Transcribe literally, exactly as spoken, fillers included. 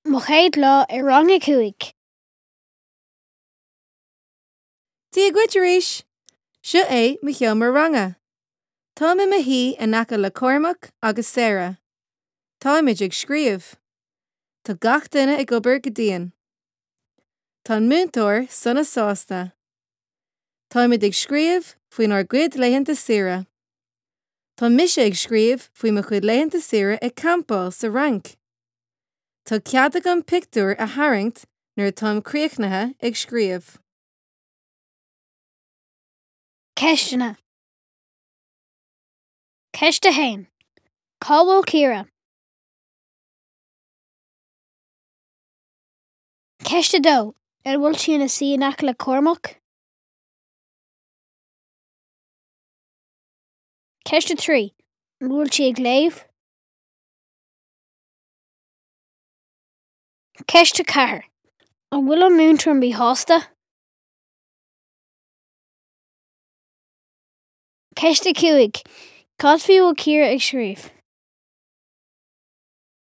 Mo chéad lá i rang a cúig. Dia dhuit arís! Seo é mo sheomra ranga. Táim i mo shuí in aice le Cormac agus Sarah. Táimid ag scríobh. Tá gach duine ag obair go dian. Tá an múinteoir sona sásta. Táimid ag scríobh faoinár gcuid laethanta saoire. Tá mise ag scríobh faoi mo chuid laethanta saoire ag campáil sa Fhrainc. Tá cead agam pictiúr a tharraingt nuair atáim críochnaithe ag scríobh. Ceisteanna. Ceist a haon. Cá bhfuil Ciara? Ceist a dó. An bhfuil sí ina suí in aice le Cormac? Ceist a trí. An bhfuil sí ag léamh? Ceist a ceathair. An bhfuil an múinteoir míshásta? Ceist a cúig. Cad faoi bhfuil Ciara ag scríobh?